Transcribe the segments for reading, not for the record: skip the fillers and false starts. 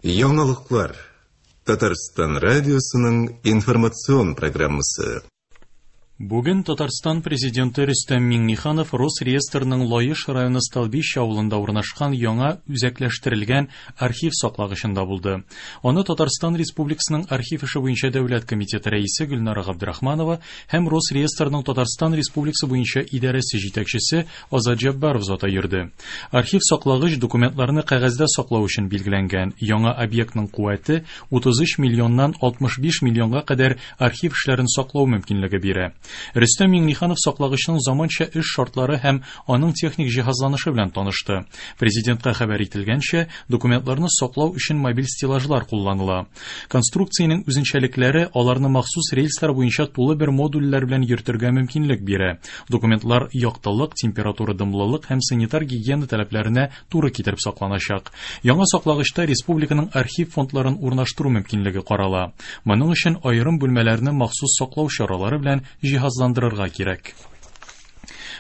Яңалыклар. Татарстан радиосының информацион программасы. Бүген Татарстан Президенты Рөстәм Миңнеханов Росреестрның Лаеш районы Столбище авылында урнашкан яңа үзәкләштерелгән архив саклагычында булды. Аны Татарстан Республикасының архив эше буенча дәүләт комитеты рәисе Гөлнара Габдрахманова һәм Росреестрның Татарстан Республикасы буенча идарәсе җитәкчесе Азат Җәббаров заты йөрде. Архив саклагыч документларны кәгазьдә саклау өчен билгеләнгән. Яңа объектның куәте 33 миллионнан 65 миллионга кадәр архив эшләрен саклау мөмкинлеге бирә. Рөстәм Миңнеханов саклагычның заманча эш шартлары һәм аның техник җиһазланышы белән танышты. Президентка хәбәр ителгәнчә, документларны саклау өчен мобиль стеллажлар кулланыла. Конструкциянең үзенчәлекләре аларны махсус рельслар буенча тулы бер модульләр белән йөртергә мөмкинлек бирә. Документлар яктылык, температура, дымлылык һәм санитар гигиена таләпләренә туры китереп сакланачак. Яңа саклагычта республиканың архив фондларын урнаштыру мөмкинлеге карала. Моның өчен аерым бүлмәләрне махсус саклау чаралары белән җиһазландырырга кирәк.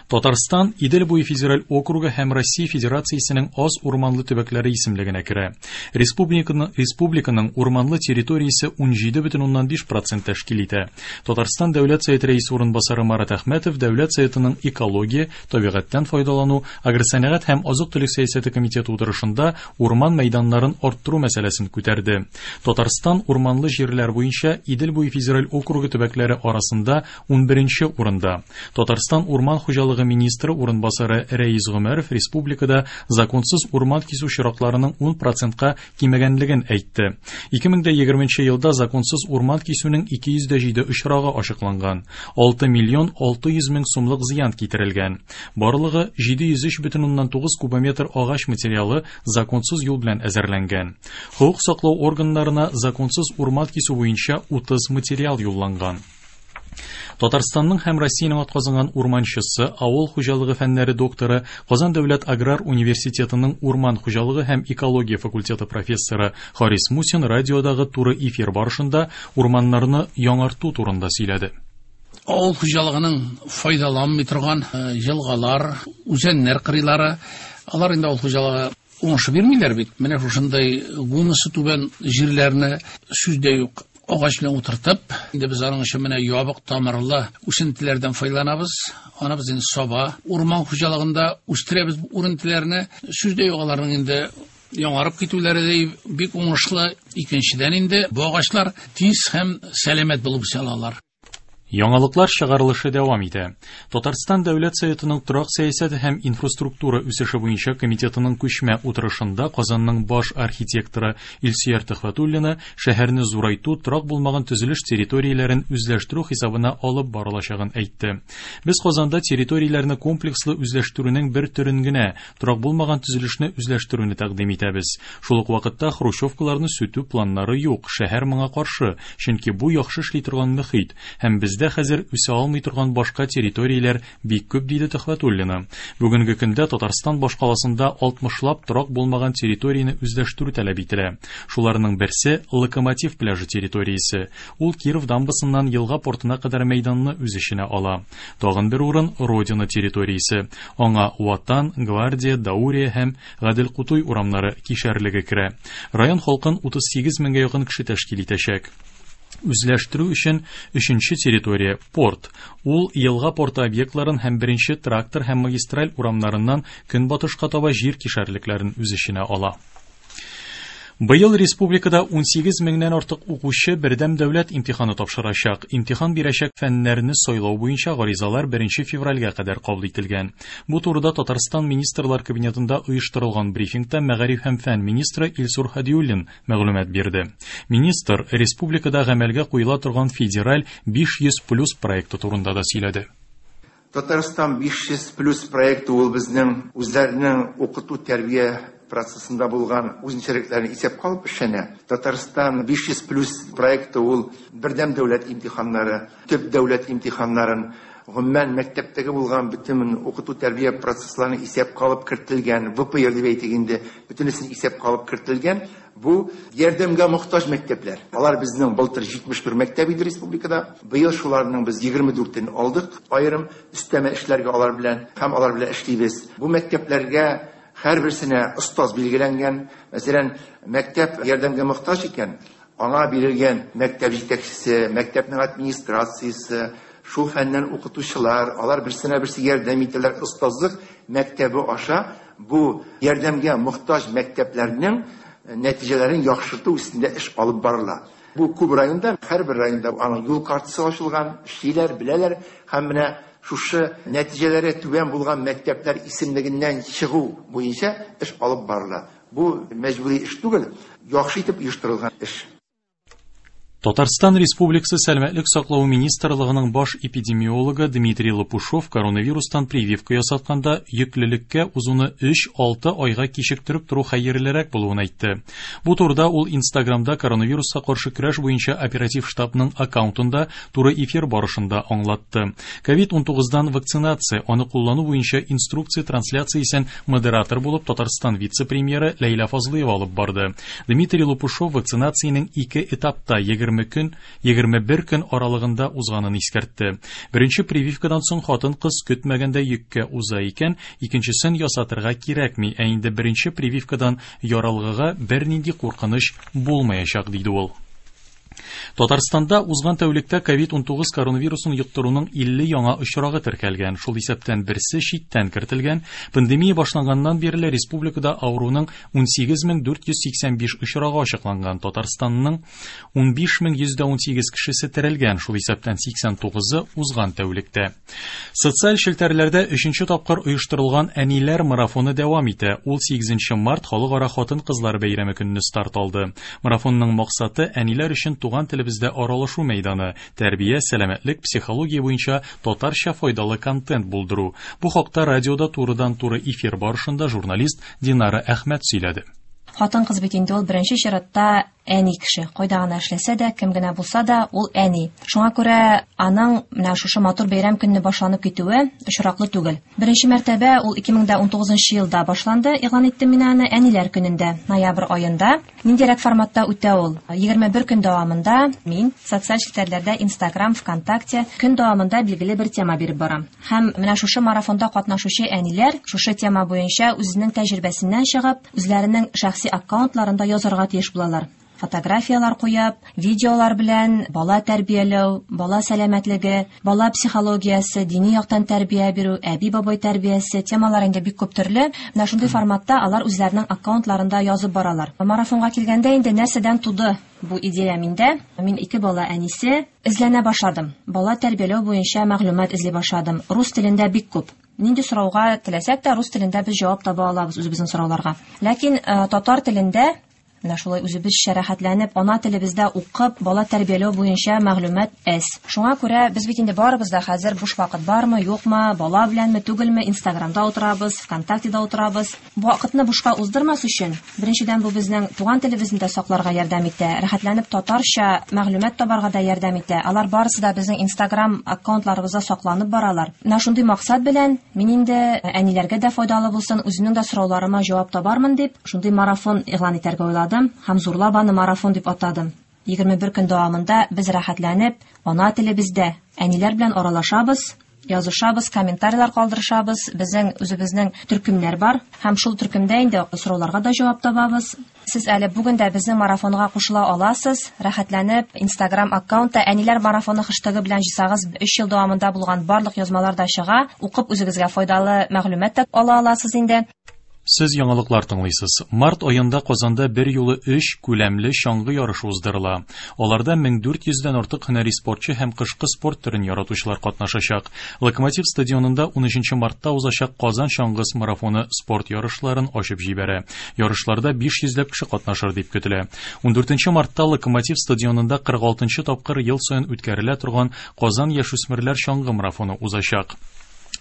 Татарстан Идел буе федераль округы һәм Россия Федерациясенең аз урманлы төбәкләре исемлегенә керә. Республиканың, республиканың урманлы территориясе 17,5% тәшкил итә. Татарстан Дәүләт Советы рәисе урынбасары Марат Әхмәтов Дәүләт Советының экология, табигатьтән файдалану, агросәнәгать һәм азык-төлек сәясәте комитеты утырышында урман мәйданнарын арттыру мәсьәләсен күтәрде. Татарстан урманлы җирләр буенча Идел буе федераль округы төбәкләре арасында 11 урында. Татарстан урман хуҗалыгы министры урынбасары Рәис Гомәров республикада законсыз урман кисү очракларының 10 процентка кимегәнлеген әйтте. 2020 елда законсыз урман кисүнең 207 очрагы ачыкланган. 6 миллион 600 мең сумлык зыян китерелгән. Барлыгы 703,9 кубометр агач материалы законсыз юл белән әзерләнгән. Хокук саклау органнарына законсыз урман кисү буенча 30 материал юлланган. Татарстанның һәм Россиянең атказанган урманчысы, авыл хуҗалыгы фәннәре докторы, Казан дәүләт аграр университетының урман хуҗалыгы һәм экология факультеты профессоры Харис Мусин радиодагы туры эфир барышында урманнарны яңарту турында сөйләде. Авыл хуҗалыгының файдаланмый торган елгалар, үзәннәр кырыйлары, алар инде авыл хуҗалыгы уңышы бирмиләр бит. Менә шушындай гумусы түбән җирләрне сүз дә юк агач белән утыртып, инде без аның өчен менә ябык тамырлы үсентеләрдән файдаланабыз. Аны без инде саба урман хуҗалыгында үстерәбез бу үрентеләрне. Сүз дә юк, аларның инде яңарып китүләре дә бик уңышлы. Икенчедән инде бу агачлар тиз һәм сәламәт булып үсә алалар. Яңалыклар чыгарылышы дәвам итә. Татарстан Дәүләт Советының торак сәясәте һәм инфраструктура үсеше буенча комитетының күчмә утырышында Казанның баш архитекторы Илсөяр Төхвәтуллина шәһәрне зурайту торак булмаган төзелеш территорияләрен үзләштерү хисабына алып барылачагын әйтте. Без Казанда территорияләрне комплекслы үзләштерүнең бер төрен генә, торак булмаган төзелешне үзләштерүне тәкъдим итәбез. Шул ук вакытта хрущевкаларны сүтү планнары юк, шәһәр моңа каршы, чөнки бу яхшы эшли торган мөхит һәм бездә хәзер үсә алмый торган башка территорияләр бик күп, диде Төхвәтуллина. Бүгенге көндә Татарстан башкаласында 60лап торак булмаган территорияне үзләштерү таләп ителә. Шуларның берсе Локомотив пляжы территориясе. Ул Киров дамбасыннан елга портына кадәр мәйданны үз эченә ала. Тагын бер урын Родина территориясе. Аңа Ватан, Гвардия, Даурия һәм Гадел Кутуй урамнары кишәрлеге керә. Район халкын 38 меңгә якын кеше тәшкил итәчәк. Үзләштерү өчен өченче территория порт. Ул елга порты объектларын һәм беренче трактор һәм магистраль урамнарыннан көнбатышка таба җир кишәрлекләрен үз эченә ала. Быел республикада 18 меңнән артык укучы бердәм дәүләт имтиханы тапшырачак. Имтихан бирәчәк фәннәрне сайлау буенча гаризалар 1 февральгә кадәр кабул ителгән. Бу турыда Татарстан Министрлар Кабинетында оештырылган брифингта мәгариф һәм фән министры Илсур Һадиуллин мәгълүмат бирде. Министр республикада гамәлгә куела торган федераль 500 плюс проекты турында да сөйләде. Татарстан 500 плюс проекты ул безнең үзләренең укыту тәрбия процессында булган үзенчәлекләрен исәпкә алып эшләнә. Татарстан 500 плюс проекты ул бердәм дәүләт имтиханнары, төп дәүләт имтиханнарын, гомумән мәктәптәге булган бөтен укыту тәрбия процессларын исәпкә алып кертелгән, ВПР дип әйтик инде, бөтенесен исәпкә алып кертелгән. Бу ярдәмгә мохтаҗ мәктәпләр. Алар безнең былтыр 71 мәктәп иде республикада. Быел шуларның без 24-ен алдык. Аерым өстәмә эшләргә алар белән һәм алар белән эшлибез. Бу мәктәпләргә Һәрберсенә остаз билгеләнгән. Мәсәлән, мәктәп ярдәмгә мохтаҗ икән, аңа бирелгән мәктәп җитәкчесе, мәктәпнең администрациясе, шул фәннән укытучылар, алар берсенә берсе ярдәм итәләр. Остазлык мәктәбе аша бу ярдәмгә мохтаҗ мәктәпләрнең нәтиҗәләрен яхшырту өстендә эш алып барыла. Бу күп районда, һәрбер районда аның юл картасы ачылган, эшлиләр, беләләр һәм менә шушы нәтиҗәләре түбән булган мәктәпләр исемлегеннән чыгу буенча эш алып барыла. Бу мәҗбүри эш түгел, яхшы итеп оештырылган эш. Татарстан Республикасы Сәламәтлек саклау министрлыгының баш эпидемиологы Дмитрий Лопушов коронавирустан прививка ясатканда йөклелеккә узуны 3-6 айга кичектереп тору хәерлерәк булуын әйтте. Бу турыда ул Инстаграмда коронавируска каршы көрәш буенча оператив штабның аккаунтында туры эфир барышында аңлатты. COVID-19-дан вакцинация, аны куллану буенча инструкция трансляциясен модератор булып Татарстан вице-премьеры Ләйлә Фазлыева алып барды. Дмитрий Лопушов вакцинациянең ике этапта 20 көн, 21 көн аралыгында узганын искәртте. Беренче прививкадан соң хатын-кыз көтмәгәндә йөккә уза икән, икенчесен ясатырга кирәкми, ә инде беренче прививкадан яралгыга бернинди куркыныч булмаячак, диде ул. Татарстанда узган тәүлектә COVID-19 коронавирусын йоктыруның 50 яңа очрагы теркәлгән, шул исәптән берсе читтән кертелгән. Пандемия башланганнан бирле республикада авыруның 18485 очрагы ачыкланган. Татарстанның 15118 кешесе терелгән, шул исәптән 89-ы узган тәүлектә. Социаль челтәрләрдә 3нче тапкыр оештырылган әниләр марафоны дәвам итә. Ул 8 март халыкара хатын-кызлар бәйрәме көнне старт алды. Марафонның максаты әниләр өчен туган телебездә аралашу мәйданы, тәрбия, сәламәтлек, психология буенча татарча файдалы контент булдыру. Бу хакта радиода турыдан-туры эфир барышында журналист Динара Әхмәт сөйләде. Хатын-кыз бит инде ул беренче чиратта әни кеше. Кайда гына эшләсә дә, кем генә булса да, ул әни. Шуңа күрә аның менә шушы матур бәйрәм көнне башланып китүе очраклы түгел. Беренче мәртәбә ул 2019 елда башланды, игълан иттем мин аны әниләр көнендә, ноябрь аенда. Ниндирәк форматта үтә ул? 21 көн дәвамында мин социаль челтәрләрдә Instagram, ВКонтакте көн дәвамында билгеле бер тема биреп барам. Һәм менә шушы марафонда катнашучы әниләр шушы тема буенча үзенең тәҗрибәсеннән чыгып, үзләренең шәхси аккаунтларында язарга тиеш булалар. Фотографиялар куеп, видеолар белән бала тәрбияләү, бала сәламәтлеге, бала психологиясе, дини яктан тәрбия бирү, әби-бабай тәрбиясе темалар инде бик күп төрле. Менә шундый форматта алар үзләренең аккаунтларында язып баралар. Марафонга килгәндә инде нәрсәдән туды бу идея миндә? Мин ике бала әнисе, эзләнә башладым. Бала тәрбияләү буенча мәгълүмат эзли башладым. Рус телендә бик күп. Нинди сорауга теләсәк тә, рус телендә без җавап таба алабыз үзебезнең сорауларга. Ләкин татар телендә менә шулай үзебезчә рәхәтләнеп, ана телебездә укып, бала тәрбияләү буенча мәгълүмат әз. Шуңа күрә без бит инде барыбыз да хәзер буш вакыт бармы, юкмы, бала беләнме, түгелме, Инстаграмда утырабыз, ВКонтактеда утырабыз. Вакытны бушка уздырмас өчен, беренчедән бу безнең туган телебезне дә сакларга ярдәм итә, рәхәтләнеп татарча мәгълүмат табарга да ярдәм итә. Алар барысы да безнең Инстаграм аккаунтларыбызда сакланып баралар. Менә шундый максат белән мин инде әниләргә дә файдалы булсын, үземнең дә сорауларыма җавап табармын дип, шундый марафон игълан итәргә уйладым. Һәм зурлап аны марафон дип атадым. 21 көн дәвамында без рәхәтләнеп ана телебездә әниләр белән аралашабыз, язышабыз, комментарийлар калдырышабыз. Безнең үзебезнең төркемнәр бар һәм шул төркемдә инде сорауларга да җавап табабыз. Сез әле бүген дә безнең марафонга кушыла аласыз. Рәхәтләнеп Instagram аккаунтта әниләр марафоны хэштегы белән җыйсагыз, 3 ел дәвамында булган барлык язмалар да чыга. Укып үзегезгә файдалы мәгълүмат та ала аласыз инде. Сез яңалыклар тыңлыйсыз. Март аенда Казанда бер юлы 3 күләмле чаңгы ярышы уздырыла. Аларда 1400дән артык һөнәри спортчы һәм кышкы спорт төрен яратучылар катнашачак. Локомотив стадионында 13 мартта узачак Казан чаңгы марафоны спорт ярышларын ачып җибәрә. Ярышларда 500 ләп кеше катнашыр дип көтелә. 14 мартта Локомотив стадионында 46 тапкыр ел саен үткәрелә торган Казан яшүсмерләр чаңгы марафоны узачак.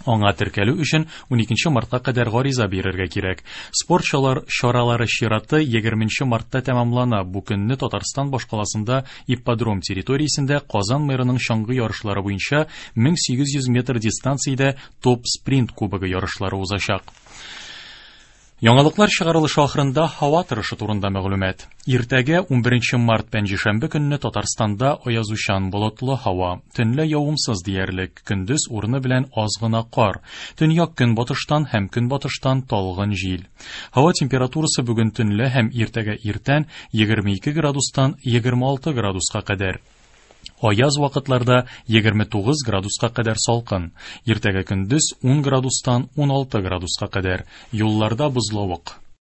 Аңа теркәлү өчен 12 мартка кадәр гариза бирергә кирәк. Спорт чаралары чираты 20 мартта тәмамлана. Бу көнне Татарстан башкаласында ипподром территориясендә Казан мэрының чаңгы ярышлары буенча 1800 метр дистанциядә топ-спринт кубогы ярышлары узачак. Яңалыклар чыгарылышы ахырында һава торышы турында мәгълүмат. Иртәгә 11 март пәнҗешәмбе көнне Татарстанда аязучан болытлы һава, төнлә явымсыз диярлек, көндез урыны белән аз гына кар, төньяк көнбатыштан һәм көнбатыштан талгын җил. Һава температурасы бүген төнлә һәм иртәгә иртән 22 градустан 26 градуска кадәр. Аяз вакытларда 29 градуска кадәр салкын. Иртәгә көндез 10 градустан 16 градуска кадәр. Юлларда бозлавык.